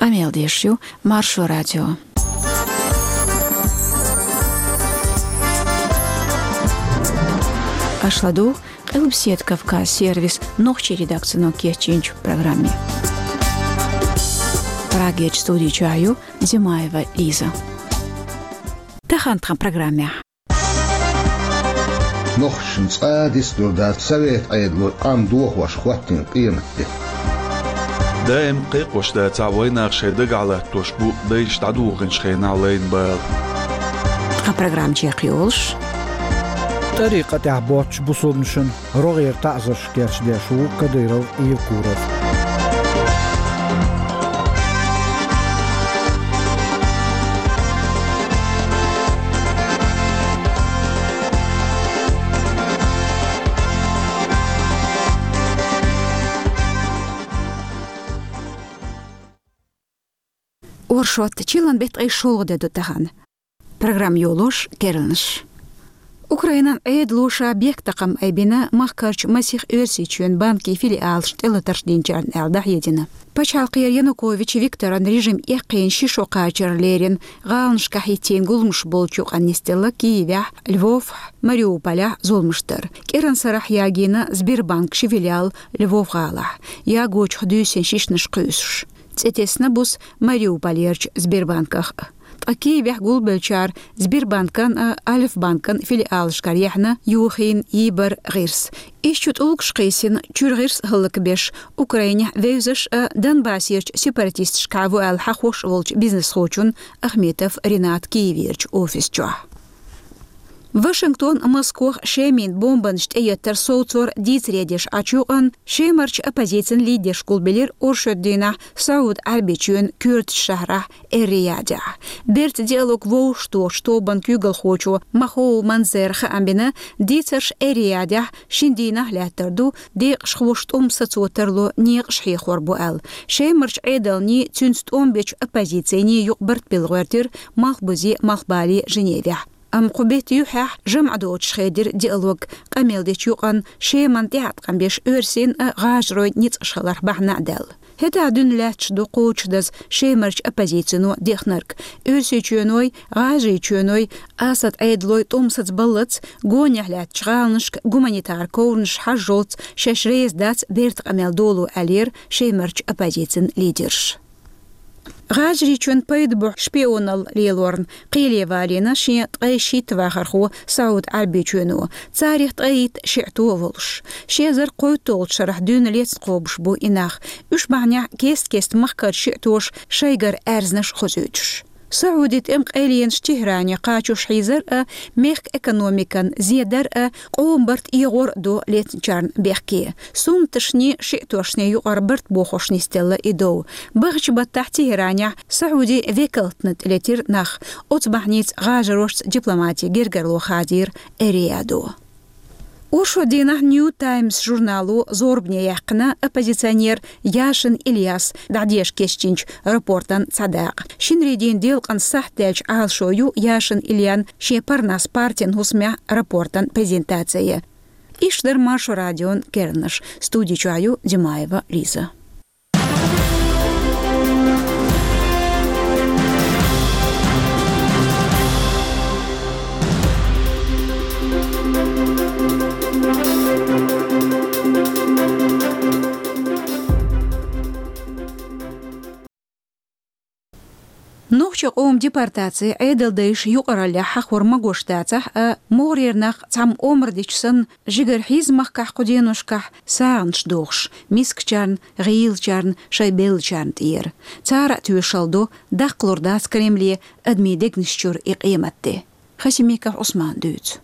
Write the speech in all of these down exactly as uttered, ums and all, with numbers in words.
Къамел деш ю Маршо радио. Аша ладугӀу Къилбаседа Кавказ сервисан нохчийн редакцино кечйинчу программе. Прагерчу студи чохь ю Димаева Лиза. Тахана тхан программехь. Нохчашна цкъа а дицлур дац Совет Ӏедало къам дохош хӀоттийна къематде. Даим кхайкхош дацахь вайнах шайн дагахь латтош бу дайша дӀадохийначу хенахь лайна бала. Тхан программа чекхйолуш: ТӀарикъатехь боцчу бусулбанашна рогӀера таӀзарш кечдеш ву Кадыров Евкуров. Оршот, чиллан беттан ткъе шолгӀа де ду тахана. Программа йолош керланаш. Украинан Ӏедало ша бехктакхам айбина махкарчу масех Оьрсийчоьнан банкийн филиалаш тӀелатарш динчарна аьлла дӀахьедина. Пачхьалкхера Янукович Викторан режим эккхийна ши шо кхачар лерина, гӀаланашкахь хӀиттийна гуламаш болчу юкъанна нисделла Киевехь, Львовехь, Мариуполехь зуламаш дар. КӀиран сарахь ягийна Сбербанкан ши филиал Львов-гӀалахь, ягочух дуьйсина шишнаш кхуьйсуш. ЦӀе тесна буса Мариуполерчу Сбербанках а. Ткъа Киевехь гулбеллачара Сбербанкан а, Альфа-банкан филиалашкара яьхьна йохийна йийбар гӀирс. Ишттачу тӀулгаш кхийсина, чуьра гӀирс а хӀаллакбеш, Украинехь вевзаш а, Донбассерчу сепаратисташкахь ву аьлла хьахош а волчу бизнесхочун Ахметов Ренат Киеверчу офис чохь. Вашингтон а, Москох Шеман бомбанаш тӀеэттар совцор дийцаре деш Ӏачу юкъанна Шемарчу оппозицин лидерш гулбелира оршот дийнахь СаӀуд Ӏаьрбийчоьнан коьртачу шахьарахь Эр-Риядехь. Бертан диалог вовшахтохучу тобан куьйгалхочо Махоу Манзера хаам бина, дийцарш Эр-Риядехь шина дийнахь лаьттар ду, декъашхоша тӀом сацо тарло некъаш хьехор бу аьлла. Шемарчу Ӏедалний, цуьнца тӀом бечу оппозицийний юкъа барт билла гӀоьртира малхбузе, малхбале Женевехь. Амма кху беттан юьххьехь жамӀ доцуш хедира диалог, къамел дечу юкъанна Шеман тӀеӀаткъам беш оьрсийн а, гӀажаройн а ницкъаш хиларх бахьана а даьлла. ХӀетахь дуьйна лаьтташ ду кхочушдаза Шемарчу оппозицино дехнарг. Оьрсийчоьной, ГӀажарийчоьной, Асад Ӏедалой тӀом сацабаллалц, гонехь лаьттачу гӀаланашка гуманитар ковраш хьажжалц шаьш реза дац бертан къамел доло, аьллера Шемарчу оппозицин лидерша. ГӀажарийчоьнан пайда бохьу шпионалла лелорна кхеле валийна шен ткъе шийтта вахархо СаӀуд Ӏаьрбийчоьно, царах ткъе итт шиӀто а волуш. Ши эзар кхойтталгӀачу шарахь дуьйна лецна кхобуш бу и нах. Уьш бахьанехь кест-кеста махкара шиӀтоша шайгара аьрзнаш хозуьйтуш. СаӀуди тӀеман къайленаш Техране кхачош хьийзар а, мехкан экономикан зе дар а, къоман барт эгӀор а до лецначарна бехке. Суннаташний, шиӀтошний юкъара барт бохош нисделла и дов. Бахачу баттахь Техранехь СаӀуди векалтна тӀелетира нах. Оцу бахьаница гӀажарошца дипломатин гергарло хадийра Эр-Риядо. Оршот дийнахь Нью Таймс журнало зорбане яьккхина оппозиционер Яшин Ильяс дӀадеша кечдинчу рапортан цхьа дакъа. Шинарийн дийнан делкъан сахьт даьлча Ӏалашо ю Яшин Ильян шен Парнас партин хӀусамехь рапортан презентаци. Иштта дара Маршо радион керланаш. Студи чохь ю Димаева Лиза. Нохчийн къоман депортаци, Ӏедалдайша юкъараллехь хьахор магош дацахь а, могӀарера нах цхьамма омра дича санна, жигара хьийза махкахь кху деношкахь сагӀанаш дохуш, мискачарна, гӀийлачарна, шайн беллачарна тӀера. Цара а тоьшалла до, даккхалур дац Кремле адамийн дегнаш чуьра и къематде. Хасимиков Ӏусмана дуьйцу.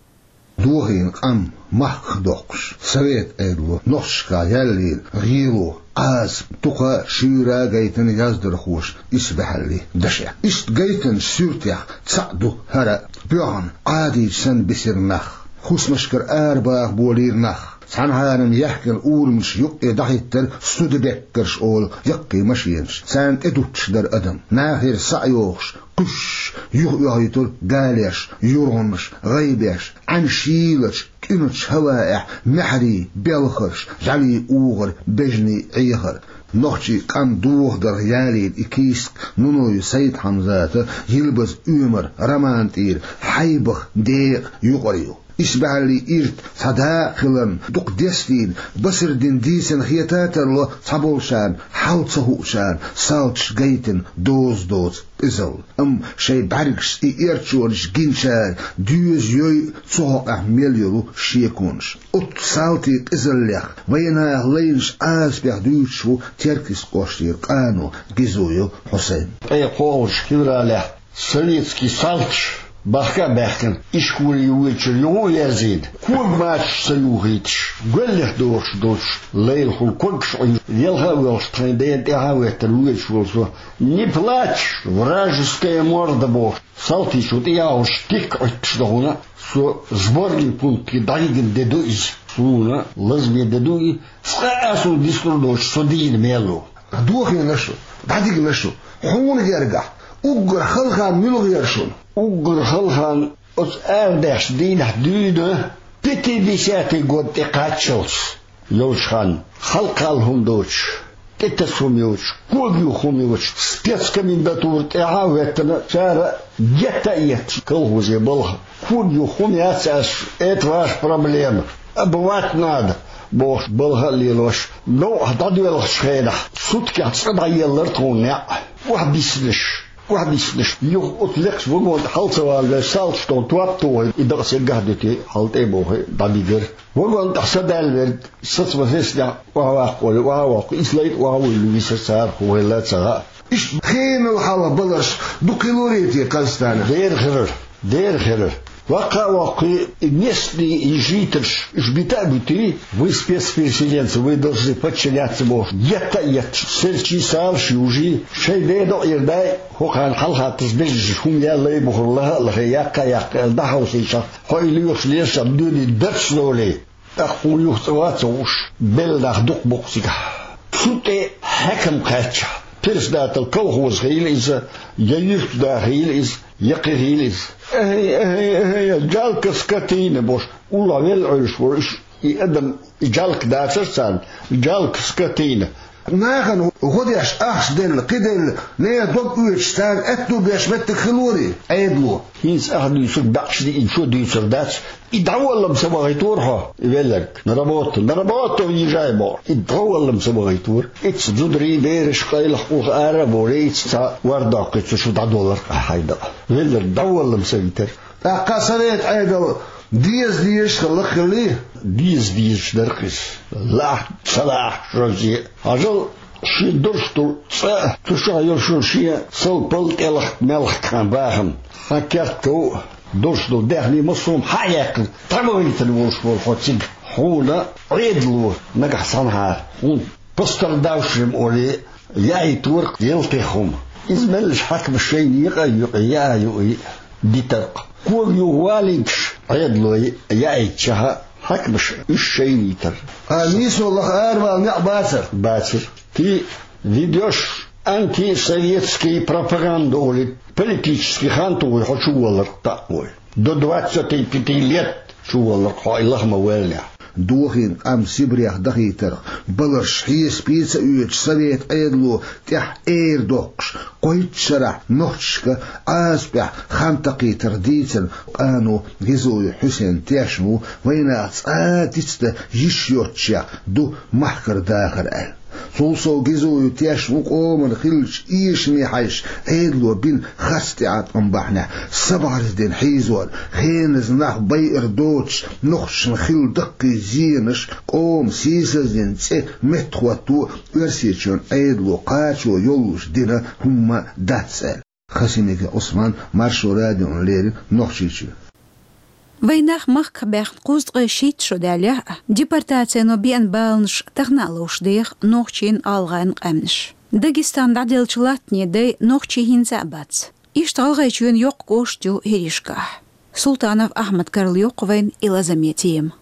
Дохийна къам махках доккхуш, Совет Ӏедало нохчашкахь яьллера гӀело, Ӏазап, дукха шуьйра гайтина яздархоша исбаьхьаллин дашех. Иштта гайтинчу суьртех цхьаъ ду хӀара а: боьхна, Ӏадийча санна бисира нах, хӀусамашкара арабаха болийра нах, цхьанхьара яхкина урамаш юккъе дӀахӀиттара судебеккерш олу яккхий машенаш, царна тӀедуттуш дара адам, нахера схьа а йохуш, кхуьссуш, юхаоьхуьйтура галеш, юргӀанаш, гӀайбеш, Ӏаьнан шийлачу, кӀуьначу хӀаваэхь маьхьарий белхарш, жӀаьлийн угӀар, бежанийн Ӏехар. Нохчийн къам дохадарх ялийна и кийсак Нунаев Сайд-Хьамзата, Йилбаза Оьмара роман тӀера хьайбах декъа юкъара ю. Исбаьхьаллин ирт цхьа дакъа хиларна, дукха дестийна, Басардина дийцина хета а тарло цхьаболчарна, хьал ца хуучарна салташа гайтина доза доцу къизалла. Амма шайн бӀаьргашца и эрчонаш гиначара доьза йой а цу хьокъехь мел йолу шеконаш. Оццу салтийн къизаллех вайнаха лайначу Ӏазапех дуьйцуш ву Теркйист кӀоштара къано Гизоев Хьусайн. Ткъе кхоалгӀачу февралехь советский салташ бахка а баьхкина, ишколе воьдучуьра юха а верзийна, кога мачаш ца юхийташ, гоьллех дохуш долчу лайлахула когаш Ӏуьйжу, велха а воьлхуш, тхайн дена тӀаьхьа а веттина воьдуш волу со: «Не плачь, вражеская морда», — бохуш, салтичо тӀеяхьуш, тик Ӏуьттуш дан хӀуна, со сборный пункте дӀавигна де ду иза. Суна лазаме де ду и, цкъа а суна дицлур доцуш, со дийна мел ву. Дохийна шу, дӀадигна шу, хьуна гергахь, уггар хала хан муьлха яра шуна? Уггар хала хан оцу арадаьхначу дийнахь дуьйна, пятидесятый год тӀекхаччалц йолчу ханна, хьалакхалла хӀума доцуш, тӀетаса хӀума йоцуш, кога юха хӀума йоцуш, спецкомендатура тӀаьхьа а веттина, цара гетта а етташ колхозе балха. Кога юха хӀума яц аьлча, это ваша проблема, обувать надо, бохуш, балха а лелош, новкъахь дӀадоьлхучу хенахь, суткехь цкъа дӀаеллара тхуна неӀ. Охьабиссинарш, охьабиссинарш, юха оцу лекхачу вагон тӀе хьала ца валавеш, салташ тхуна топ а тухий, и дакъа саггахь а дуьтий, хьала тӀе а бохий, дӀабигира. Вагон тӀехь са даьлла верг, саца ма сецнехь, охьаваккха олий, охьа а воккху, и слайд охьавуьйлуш висира цара, хӀун хилла а ца хаьа. Иштта хенал хьалха баларш дукха хиларий те Казахстанахь? Дера хилар, дера хилар. Ваккха а воккхий, и местный, и жительш, уьш бита а битий, вы спецпереселенцы, вы должны подчиняться бохуш, етта а етташ, селчий, салаш южий, шайн ден докъера дай, хӀокхарна хьалха таса безаш хӀума ял лай бухур лаха а лахе, яккха а яккха, дӀахьовсийчахь, хьо и лоьхуш лешах дуьне дарц долий. ТӀаккха хӀун юха цӀа вац а вуш, белла нах дукха бу-кх цигахь. Цу тӀе хьаькам кхаьчча, председатель колхоза хилла иза, я юьртда хилла иза, я кхин хилла иза. «Эхье, эхье, эхье, жалко скотина», — бохуш, уллохь велла Ӏуьллуш волу уьш, и адам, и жалко дацара царна, жалко скотина. Нахана гӀо деш, ахча делла, кхин делла, нехан дог оьцуш, царна аьтто беш меттиг хилорий Ӏедало? ХӀинца ахь дуьйцург баьӀча диъначо дуьйцур дац. И дӀаволла-м ца вахийтора хьо, и велларг. На работу, на работу уезжай, боху. И дӀаволла-м ца вахийтора. Ицца зударий, бераш, къайлаха, уллохь ара а волий, ицца цхьа вар доккхий, цу шу дӀадоллар-кх ахь хьайн дакъа. Велларг дӀаволла-м ца витара. ТӀаккха совет Ӏедал деза дезаш хилла хиллий? Деза дезаш дара-кх иза. Лаахь, ца лаахь, шозза. Хьажал, шен дурш долу цӀа, цу чохь йолу шен сал-пал, тӀелхьа-мелхьа кхаьн бахам. Хьан керт ков а, дурш долу даьхний массо а хьа а яьккхина, тӀе ма вайтина волуш волу хьо цига. Хьуна Ӏедало нагахь санхьара, хьуна пострадавшим олий, яийтора-кх ялтех хӀума. Иза меллаша хьаькамаш шайна екъа а юкъе, яа а юкъе дитар-кх. Кога юха валийташ Ӏедало яийтичахьа, хьаькамаш уьш шайна йитар. А нийсо лаха аравала некъ бацара? Бацара. Ты ведёшь антисоветскую пропаганду олий, политический хан тухий хьо чуваллар-кх таӀ вой. До двадцати пяти лет чуваллар-кх хьо и лаха ма-валлинехь. Дохийна къам Сибрех дахийтарх, баларш хьесапе ца оьцуш, совет Ӏедало тӀехь эр доккхуш, кхойтта шарахь нохчашка Ӏазапехь хан такхийтарх дийцина къано Гизоев Хьусен тешна ву, вайнах цкъа а дицдан йиш йоцчех ду махкара дахар аьлла. Цул сов Гизоев тешна ву къоман хиллачу эшаме хьаьжча, Ӏедало бина харц тӀеӀаткъам бахьанехь, са бӀаьрзе дина хьийзор, хеназа нах байар доцуш, нохчашна хилла даккхий зенаш, къоман сийсаздина цӀе меттахӀотто, Оьрсийчоьнан Ӏедало кхачо йоллуш дина хӀумма дац аьлла. Хасимиков Ӏусман, Маршо радиона леррина, Нохчийчоь. Вайнах махках баьхна кхузткъе шийтта шо даьллехь а, депортацино беана баланаш тахана а ловш деха нохчийн, гӀалгӀайн къаьмнаш. Дагестан дӀаделлачу латтане дай нохчий хӀинца а бац. Иштта ГӀалгӀайчоьнан йоккха кӀошт ю ХӀиришкахь. Султанов Ахьмада карла йоккху вайна и лазаме тема.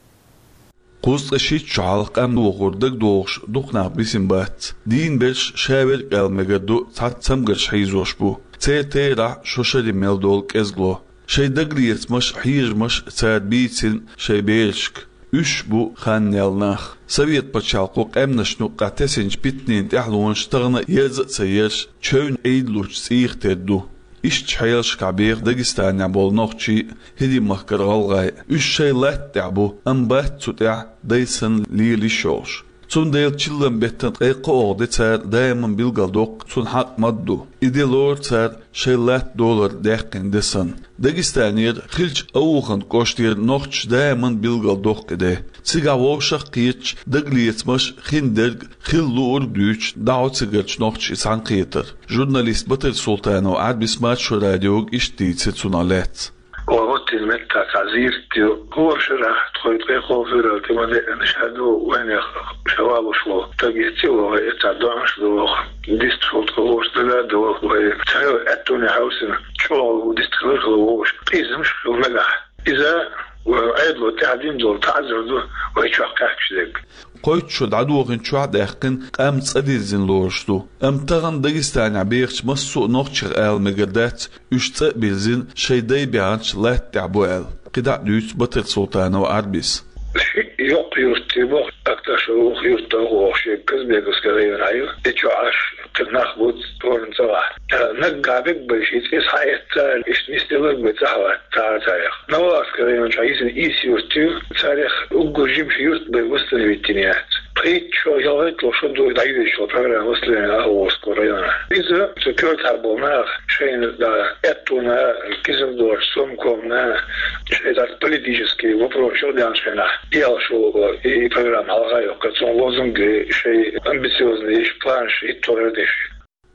Кхузткъе шийтта шо хьалха къам вохура дагадогӀуш дукха нах бисина бац. Дийна берш ша верг а аьлла мегар ду, цхьацца цамгарш хьийзош бу. Церан терахь шо шаре мел долу кӀезигло. Шайн дагалецамаш а, хьежамаш а цара бийцина шайн берашка. Уьш бу ханнел нах. Совет пачхьалкхо къаьмнашна юккъехь тесинчу питанийн тӀаьхьалонаш тахана ерза а ца ерш, чевнна Ӏийдалучу цӀийх тера ду. Иштта хьелашкахь беха Дагестанехь болу нохчий а, ХӀирийн махкара гӀалгӀай а. Уьш шайн латта тӀехь бу, амма бац цу тӀехь дай санна лела йиш йолуш. Цундела чиллан беттан ткъе кхоалгӀа де цара даиман билгалдоккху цунна хьакъ ма-дду. И де лору цара шайн латта долар даьккхина де санна. Дагестанера хиллачу Ауханан кӀоштера нохчаша даиман билгалдоккху и де. Цигахь вовшах а кхеташ, дагалецамаш а, хиндерг а, хилла луург а дуьйцуш, дӀахьо цигарчу нохчийн цхьаьнакхетар. Журналист Батыр Султанов Ӏарбис Маршо радиога иштта дийцира цунах лаьцна. Оха оттина меттахь цхьа зийрт ю. ХӀора шарахь тхуна ткъе кхо февраль тӀе ма деана, ша ду вайнех ша валуш волу стаг эцци вогӀу, и цхьа доӀанаш а доху. Дистхула тхо вовшах дага а довлу вай. Цхьайолу аьттонехь хьовсийна, чӀогӀа дистхилар хила вовшах, къизамаш а хила нагахь. Иза вайн Ӏедало тӀаьхьа дина долу таӀзар ду вай чохь кхаьчна дерг. Кхойтта шо дӀадохийначохь а даьккхина, къам цӀа дирзина лоруш ду. Амма тахана Дагестанехь бехачу массо а нохчех ала мегар дац, уьш цӀа а бирзина, шайн дай баьхначу латта тӀехь бу аьлла. КхидӀа а дуьйцу Батыр Султанов Ӏарбис. Ши йоккха юрт ю боху, Акташево юрт ду боху, шен Казбековский районехь ю. И чохь аш кхин нах бу тхуна цӀа вахь. Наггахь бегбайша и цӀе схьаэцна, иштта нисделларг бен цӀа хьалаьцна цара царех. Новолакский район чохь йисина Ис юрт ю, царех уггар жимачу юрт бен восстановить йина яц. Пхийтта шо, ялхитталгӀа шо ду дӀайоьдуш йолу программа восстановления Агъа-Волжского района. Иза цу коьртахь болу нах шайна, да, аьттонна, кизам доцуш, сомкомна, шайн цхьа политический вопрос чуьра даьллачу хенахь, и алш ву и программа хьалха а йоккхура, цунна лозунгаш, шайн амбициозный планаш хӀиттор деш.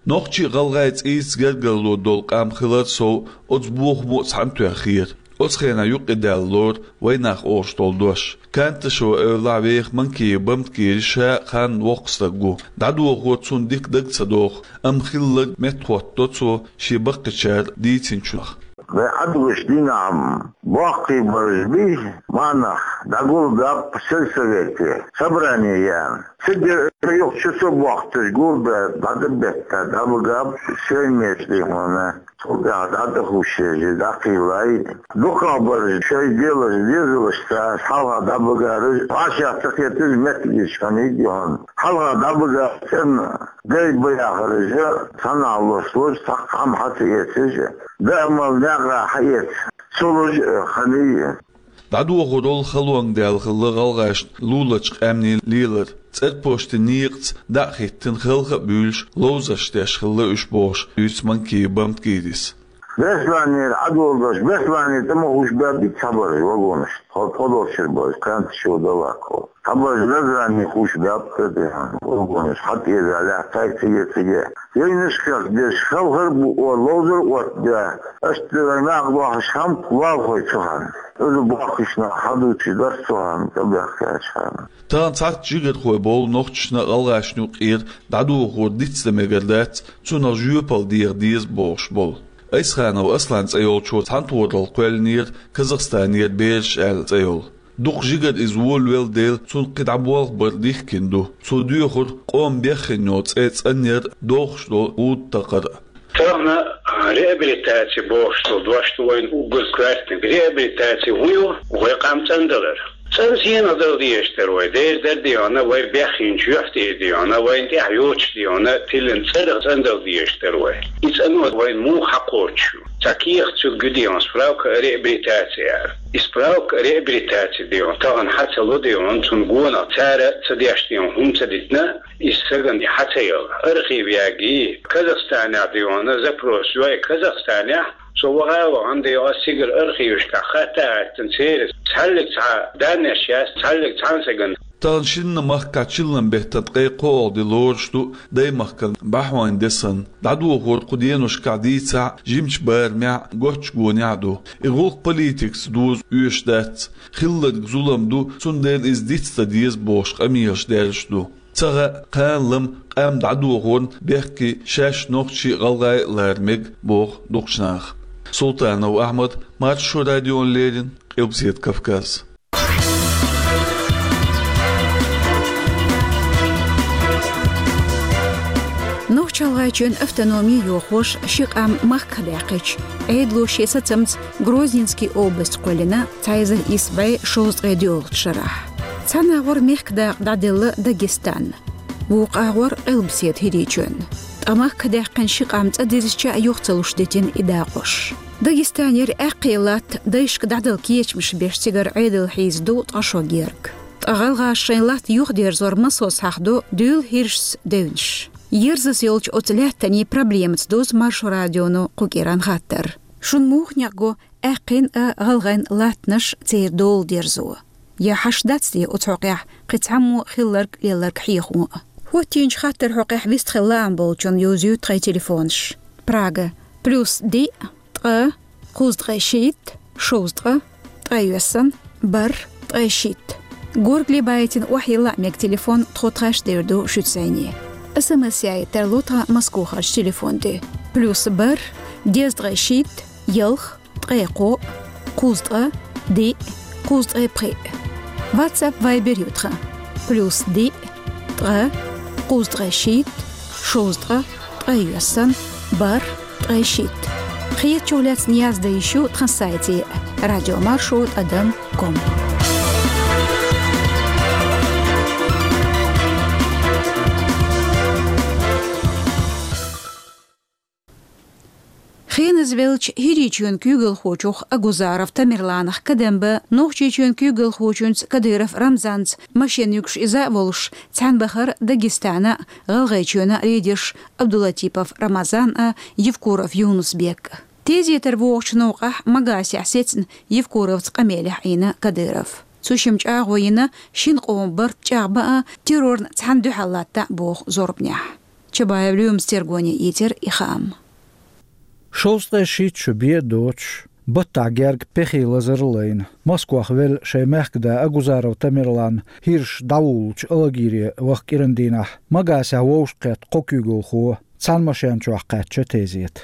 Нохчий, гӀалгӀай цӀийца гергарло долу къам хилар сов, оцу бохамо а цхьаьна тоьхнера. Оцу хенахь юкъадаьлла лору вайнах олуш долу дош. Канташево эвлахь веха Манкиев Бамтгири ша а ханна воккха стаг ву. ДӀадохор цунна дика дага ца доху, амма хилларг меттахӀоттадо цо шен баккхийчара дийцинчунах. Вай Ӏадваш дийнахь боккхий бараш бий, маьӀнах дӀагулбаьлла сельсовете, собрание ян. Цига юха чу со бохкуш гулбе, дӀадабетта, дӀабагаб шайн мешкий хьуна. Цул тӀаьхьа дӀа тӀехуш еза, дӀакхийлай. Дукхахбараш шайн делаш, дезалаш ца хьалха дӀабагараш, вӀашагӀ ца кхеташ меттигаш хьанийга хьуна. Хьалха дӀабагар цӀена дай бахараш, цхьанхьа лош лош, цхьаккха хьан хьа ца эцаш, даамал некъа хьаэца ца луш хьаний. ДӀадохорал халонга даьлла хилла гӀалгӀашна луларчу къаьмнийн лелар. ЦӀерпошти некъаца дӀа а хӀиттина, халха а буьйлуш, ловзарш деш хилла уьш бохуш, дуьйцу Манкиев Бамтгирис. Бесланера Ӏадолу дош, Бесланера тӀе ма хууш баьббица хабар вагонаш, тхо тхо долчуьра база, кхаьнта чу далаккхо. Хабар Назрани хууш баьббица, вагонаш хьатӀеза лаьттай циге-циге. Вайнашках деш, халхар бу, о, ловзар оттабе. Аша дерриг накъа дохьуш хьамка лалхой цу хьан. Иза бохкуш нах хьадучу дарс цу хьан, тӀебехкачу хьан. Тахана цхьацца жигархой болу нохчашна а, гӀалгӀашна юкъера дӀадохор дицдан мегар дац, цунах жоьпалла деха деза бохуш болу. Айсханов Аслан цӀе йолчо цхьаьнатохаралла кхоьллинера Казахстанера «Бераш» аьлла цӀе йолу. Дукха жигара иза волавелла дела, цунна кхин дӀа болх бар дихкина ду. Цо доьхура къоман беххеннел цӀе цӀанъяр а, дохуш долу гӀуда такхар а. Тахана, а, реабилитаци бохуш долу дош ду вайна уггар коьртаниг. Реабилитаци хӀун ю? Вай къам цӀандалар. ЦӀанза хьенех дала дезаш дара вай. Дера дара дийхьана, вай беххинчу юьхь тӀера дийхьана, вайна тӀехь йоцуш дийхьана, тиллина цӀа даха цӀандала дезаш дара вай. И цӀано вайна муха хьакхочуш ю? Цхьа кехат цуьнга ю дийхьана, справка о реабилитации аьлла. И справка о реабилитации дийхьана, тахана хьа ца ло дийхьана, цунна гонах цара ца деш дийхьана, хӀума ца дитина, иза сагана хьа ца яла. Архив яги, Казахстанехь дийхьана, запрос йой Казахстанехь, со ваха а вахана дийхьана, ас цигара архивашкахь хатта а хаттина, церан цхьаллиг цхьа даннеш яц, цхьаллиг цхьана сагана. Тахана шинна махкахь чиллан беттан ткъе кхоалгӀа де лоруш ду даймахкана бӀаьхьойн де санна. ДӀадохор кху деношкахь дийцахь а, жимачу барамехь а, гоччу гонехь а ду. И гӀуллакх политикаца доза оьшуш дац. Хилларг зулам ду, цундела иза дицдан деза бохуш къамелаш даьржаш ду. Ца хаьа, кхана-лама къам дӀадохорна бехке шаьш нохчий а, гӀалгӀай а лара мега, боху дукхачу наха. Султанов Ахьмад, Маршо радиона леррина, Къилбаседа Кавказ. Нохч-ГӀалгӀайчоьнан автономи йохош ши къам махках даьккхича, Ӏедало шен сацамца Грозненский область кхоьллина цхьа эзар исс бӀе шовзткъе доьалгӀачу шарахь. Цхьан агӀор мехкан дакъа дӀаделла Дагестан. Вукху агӀор Къилбаседа ХӀирийчоьнна. Ткъа махках даьккхина ши къам цӀа дезача юха ца луш дитина и дакъош. Дагестанера аьккхий латта дайшка дӀадала кечамаш беш цигара Ӏедал хьийза ду ткъа шо герга. Ткъа гӀалгӀаша шайн латта юхадерзор массо схьахадо дуьйла хӀирашца девнаш. Ерзас йолчу оцу лаьттанийн проблемаца дузу Маршо радионо кху кӀиран хаттар. Шуна муха некъ го аьккхийна а гӀалгӀайн латтанаш церан дола дерзо? Я хьашт дац те оцу хьокъехь кхин цхьаммо хилларг-лелларг хьехамо а? ХӀоттийначу хаттаран хьокъехь вистхила лаам болчунна йовзуьйту тхайн телефонаш. Прага: плюс диъ, ткъа, кхузткъе шийтта, шовзткъа, ткъе йоьссан, бархӀ, ткъе шийтта. Горгали байтина охьайилла а мега телефон, тхо тхаьш девр ду шуьца зӀене. СМС яийта тарло тхан Москвахарчу телефон тӀе: плюс бархӀ, дезткъе шийтта, ялх, ткъе кхоъ, кхузткъа, диъ, кхузткъе пхиъ. WhatsApp, Viber ю тхан: плюс диъ, ткъа, кхузткъе шийтта, шовзткъа, ткъе йоьссан, бархӀ, ткъе шийтта. Кхетачух лаьцна яздан йиш ю тхан сайте: радиомаршо тӀадам ком. Хеназа веллачу ХӀирийчоьнан куьйгалхочух Агузаров Тамерланах кадам бан Нохчийчоьнан куьйгалхочуьнца Кадыров Рамзанца машен юьгуш иза а волуш, цхьаьна бахара Дагестана а, ГӀалгӀайчоьнан а лидерш Абдулатипов Рамазан а, Евкуров Юнус-Бек а. Тезетара вогӀучу новкъахь Магасехь сецна Евкуровца къамелехь Ӏийна Кадыров. Цу шимма чӀагӀо йина шина къоман барт чӀагӀбан а, террорна цхьаьна дуьхьал латта а боху зорбанехь. Чабаев Лоьмас тергоне ийцира и хаам. Шовзткъе шийтта шо бен а доцуш, баттахь герга пехи лазар а лайна, Москвахь велла шайн мехкан да Агузаров Тамерлан хӀираш дӀавуллучу Алагире ваха кӀиран дийнахь Магасехь вовшахкхетта кхо куьйгалхо цхьана машен чохь кхаьчна тезета.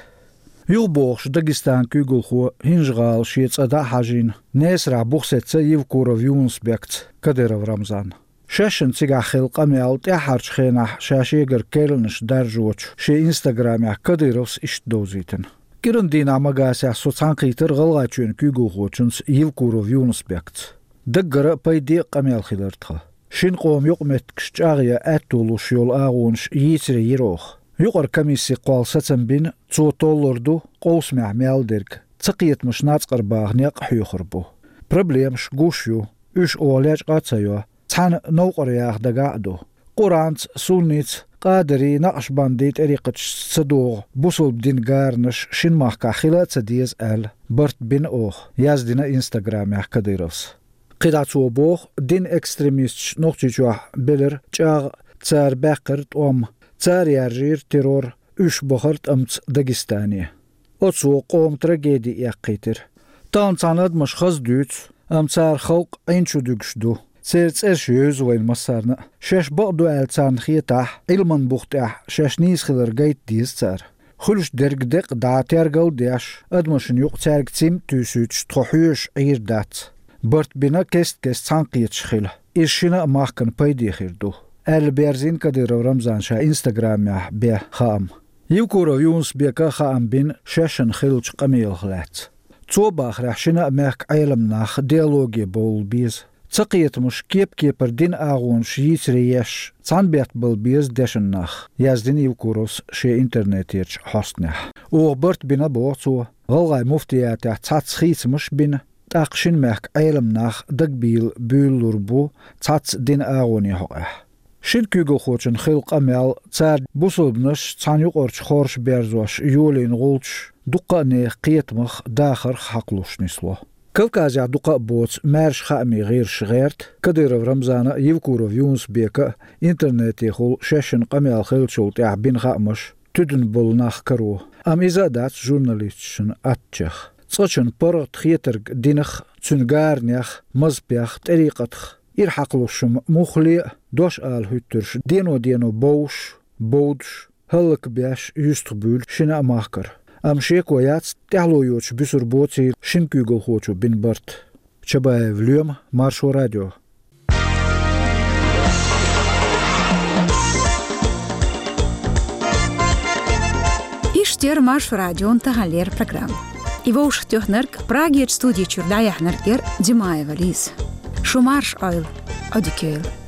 ЮхабогӀуш Дагестанан куьйгалхо ХӀинжа-ГӀала шен цӀа дӀа а хьажийна, Несарахь буха сецна Евкуров Юнус-Бекца Кадыров Рамзан. Шаьшшинна цигахь хилла къамел тӀаьххьарчу хенахь ша шегара керланаш даржочу шен инстаграмехь Кадыровс иштта довзийтина: «КӀиран дийнахь Магасехь со цхьаьнакхийтира ГӀалгӀайчоьнан куьйгалхочуьнца Евкуров Юнус-Бекца. Даггара а, пайде а къамел хилира тхан. Шина къоман юкъаметтигаш чӀагӀъян аьтто луш йолу агӀонаш йийцаре йира оха. Юкъара комиссин кхолла сацам бина, цо толлур ду къовсамехь мел дерг, цакхетамаш нацкъара баха некъ а хьоьхур бу. Проблемаш гуш ю, уьш оха лечкъа а ца йо, цхьаьна новкъара яха дагахь а ду. Къуранца, сунница, къадарий, накъшбандий тӀерикъаташца ца догӀу бусалба динан гаранаш шина махкахь хила а ца деза», — аьлла, барт бина оха, яздина инстаграмехь Кадыровс. КхидӀа цо боху, динан экстремисташ Нохчийчохь белира чӀагӀ, цара баьккхира тӀом, цара яржийра террор, уьш бахара тӀамца Дагестане. Оцо къоман трагеди эккхийтира. Тахана цхьана адамаша хаза дуьйцу, амма цара халкъ Ӏин чу дуьгуш ду. Церан цӀераш евза вайна массарна а. Шаьш бакъ ду аьлла царна хетахь, Ӏилманан бух тӀехь шаьш нийса хилар гайта деза цара. Хуьлуш дерг декъа дӀа тергал а деш, адамашна юкъа цаьрга цим а туьйсуьйтуш, тхо хьоьжуш Ӏийр дац. Барт бина кест-кеста цхьаьнакхеташ хила. Иза шина а махкана пайде хир ду, аьлла, берзийна Кадыров Рамзана ша инстаграмехь бен хаам. Евкуров Юнус-Бека хаам бина шаьшшинна хиллачу къамелах лаьцна. Цо бахарехь, шина а мехкан Ӏеламнах диалоге бовла беза. Цакхетамаш кеп-кепара динан агӀонаш йийцаре еш, цхьаьна беттан бала беза дешна нах, яздина Евкуровс шен интернетерчу хьостанехь. Оха барт бина, боху цо, гӀалгӀайн муфтиятехь цхьацца хийцамаш а бина, тӀаккха шина мехкан Ӏеламнах дагабийла буьйлалур бу цхьацца динан агӀонийн хьокъехь. Шина куьйгалхочунна хилла къамел, цара бусалбанаш цхьана юкъарчу хорша берзош йолийна гӀулчаш дуккха а нехан кхетамах, дахарх хьакхалуш нисло. Кавказехь дукха а боцу маьрша хаамийн гӀирсаша гӀерта Кадыров Рамзана а, Евкуров Юнус-Бека а интернетехула шаьшшинна къамел хиллачул тӀаьхьа бина хаамаш туьдана болу нах каро. Амма иза а дац журналисташна аттачех. Цкъачунна паргӀат хетарг динах, цуьнан гаранех, мазхӀабех, тӀерикъатах ирахьакхалуш хӀума муххале а, дош ала хӀуьттурш дено-дено бовш, бовдуш, хӀаллакбеш юьстахбуьйлу шина а махкара. Амма шеко яц, тӀаьхьало йоцуш буьсур боцийла шина куьйгалхочо бина барт. Чабаев Лоьма, Маршо радио. Иштта яра Маршо радион таханлера программа. И вовшахтоьхнарг, Прагерчу студи чуьра дӀаяьхьнарг яра Димаева Лиза. Seo mar sin, a Eilidh.